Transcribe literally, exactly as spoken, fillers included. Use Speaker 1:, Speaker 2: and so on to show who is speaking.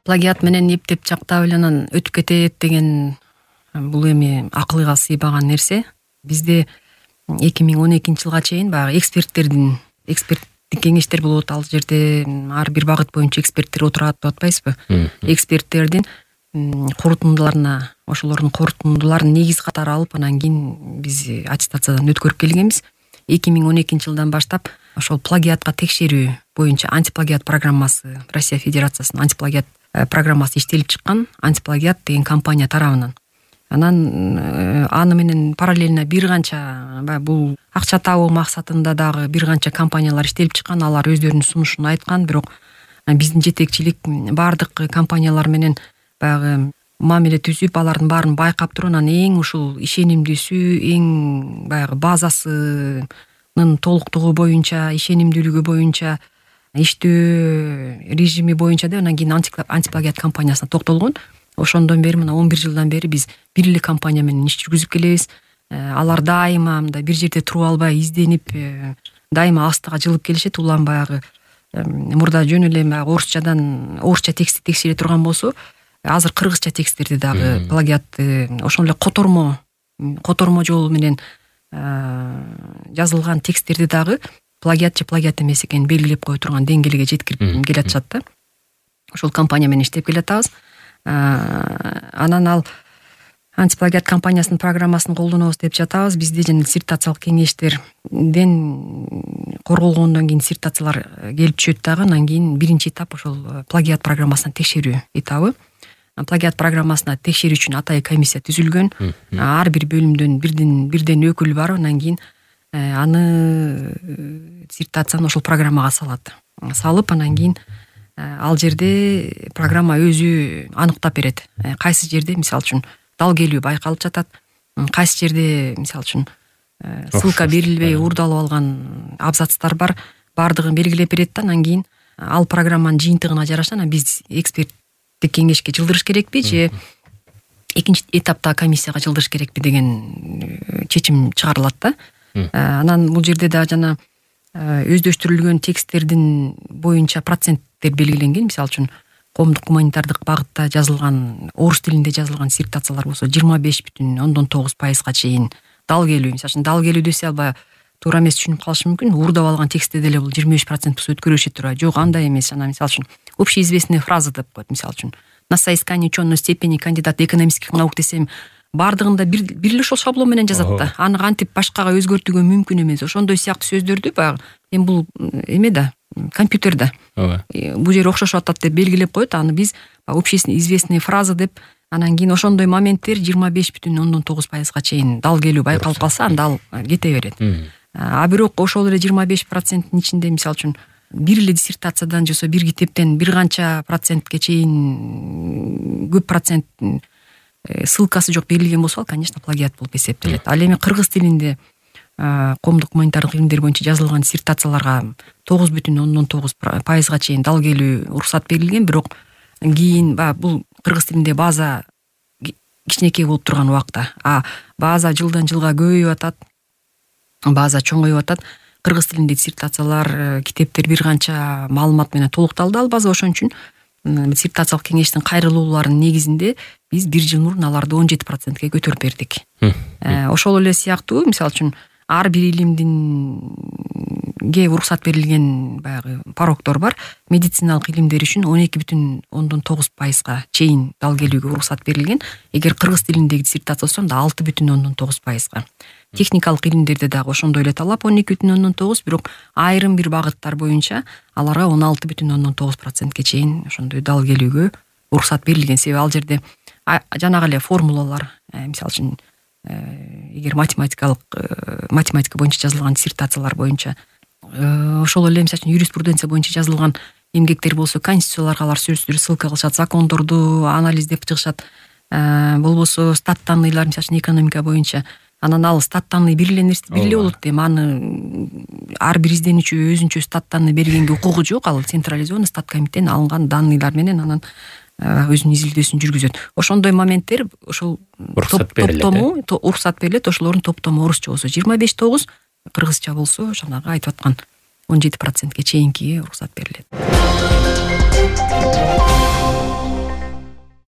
Speaker 1: плагиат менен эптеп жактап эле анан өтүп кетет деген бул эми акылга сыйбаган нерсе. Бизде эки миң он экинчи жылга чейин баягы эксперттердин эксперттик кеңештер болот. Ал жерде ар бир багыт боюнча эксперттер отурат деп атпайбызбы? Эксперттердин корутундуларына, ошолордун корутундуларын негиз катары алып, анан кийин биз аттестациядан өткөрүп келгенбиз. эки миң он экинчи жылдан баштап ошол плагиатка текшерүү боюнча антиплагиат программасы, Россия Федерациясынын антиплагиат программасы иштелип чыккан. Антиплагиат деген компания тарабынан. Анан аны менен параллельно бир канча бул акча табуу максатында дагы бир канча компаниялар иштелип чыккан. Алар өздөрүнүн сунушун айткан, бирок биздин жетекчилик бардык компаниялар менен баягы мамиле түзүп, алардын баарын байкап туруп, анан эң ушул ишенимдүүсү, эң баягы базасынын толуктугу боюнча, ишенимдүүлүгү боюнча, иштөө режими боюнча деп анан кийин антиплагиат компаниясына токтолгон. Ошондон бери мына он бир жылдан бери биз бир эле компания менен иш жүргүзүп келебиз. Алар дайыма мындай бир жерде туруп албай, изденип, дайыма астыга жылып келишет. Улам баягы мурда жөн эле баягы орусчадан орусча текстти текшере турган болсо, азыр кыргызча тексттерди дагы плагиатты ошол эле котормо котормо жолу менен жазылган тексттерди дагы плагиат же плагиат эмес экенин белгилеп кое турган деңгээлге жеткирип келатышат да. Ошол компания менен иштеп келатабыз. Анан ал антиплагиат компаниясынын программасын колдонобуз деп жатабыз. Бизде жана диссертациялык кеңештерден корголгондон кийин диссертациялар келип түшөт дагы. Анан кийин биринчи этап ошол плагиат программасына текшерүү этабы. Плагиат программасына текшерүү үчүн атайын комиссия түзүлгөн. Ар бир бөлүмдөн бирден бирден өкүл барып, анан кийин аны диссертацияны ошол программага салат. Салып, анан кийин ал жерде программа өзү аныктап берет. Кайсы жерде, мисалы үчүн, дал келүү байкалып жатат, кайсы жерде, мисалы үчүн, ссылка берилбей уурдалып алган абзацтар бар, бардыгын белгилеп берет да. Анан кийин ал программанын жыйынтыгына жараша анан биз эксперттик кеңешке жылдырыш керекпи же экинчи этапта комиссияга жылдырыш керекпи деген чечим чыгарылат да. Анан бул жерде да жана өздөштүрүлгөн тексттердин боюнча проценттер белгиленген. Мисалы үчүн, коомдук гуманитардык багытта жазылган, орус тилинде жазылган диссертациялар болсо жыйырма беш бүтүн ондон тогуз пайызга чейин дал келүү. Мисалы үчүн, дал келүү десе албай туура эмес түшүнүп калышы мүмкүн. Уурдап алган текстте деле бул жыйырма беш процент болсо өткөрүшө тура. Жок, андай эмес. Анан мисалы үчүн общеизвестные фразы деп коет. Мисалы үчүн, на соискание учёной степени кандидат экономических наук десем, бардыгында бир бир эле ошол шаблон менен жазат да. Аны кантип башкага өзгөртүүгө мүмкүн эмес. Ошондой сыяктуу сөздөрдү баягы эми бул эме да, компьютерде. Бул жер окшошуп атат деп белгилеп коет. Аны биз общественно известные фразы деп, анан кийин ошондой моменттер жыйырма беш бүтүн ондон тогуз пайызга чейин дал келүү байкалып калса, анда ал кете берет. А бирок ошол эле жыйырма беш проценттин ичинде, мисалы үчүн, бир эле диссертациядан жосо бир китептен бир канча процентке чейин көп процент ссылкасы жок берилген болсо, ал, конечно, плагиат болуп эсептелет. Ал эми кыргыз тилинде коомдук гуманитардык илимдер боюнча жазылган диссертацияларга тогуз бүтүн ондон тогуз пайызга чейин дал келүү уруксат берилген. Бирок кийин бул кыргыз тилинде база кичинекей болуп турган убакта, а база жылдан жылга көбөйүп атат, база чоңоюп атат. Кыргыз тилинде диссертациялар, китептер бир канча маалымат менен толукталды ал база. Ошон үчүн диссертациялык кеңештин кайрылууларынын негизинде биз бир жыл мурун аларды он жети процентке көтөрүп бердик. Ошол эле сыяктуу, мисалы үчүн, ар бир илимдинге уруксат берилген баягы порогдор бар. Медициналык илимдер үчүн он эки бүтүн ондон тогуз пайызга чейин дал келүүгө уруксат берилген. Эгер кыргыз тилиндеги диссертация болсо, анда алты бүтүн ондон тогуз пайызга. Техникалык илимдерде дагы ошондой эле талап он эки бүтүн ондон тогуз, бирок айрым бир багыттар боюнча аларга он алты бүтүн ондон тогуз процентке чейин ошондой дал келүүгө уруксат берилген. Себеби ал жерде жанагы эле формулалар, мисалы үчүн, эгер математикалык математика боюнча жазылган диссертациялар боюнча, ошол эле мисалы үчүн юриспруденция боюнча жазылган эмгектер болсо, конституцияларга алар сөзсүз ссылка кылышат, закондорду анализдеп чыгышат. Болбосо стат данныйлар, мисалы үчүн экономика боюнча, анан ал стат данный бир эле нерсе бир эле болот дейм. Аны ар бир изденүүчү өзүнчө стат данный бергенге укугу жок. Ал централизованный стат комитетинен алынган данныйлар менен анан өзүнүн изилдөөсүн жүргүзөт. Ошондой моменттер ошол топтому уруксат берилет. Ошолордун топтому орусча болсо жыйырма беш тогуз, кыргызча болсо жанагы айтып аткан он жети процентке чейинки уруксат берилет.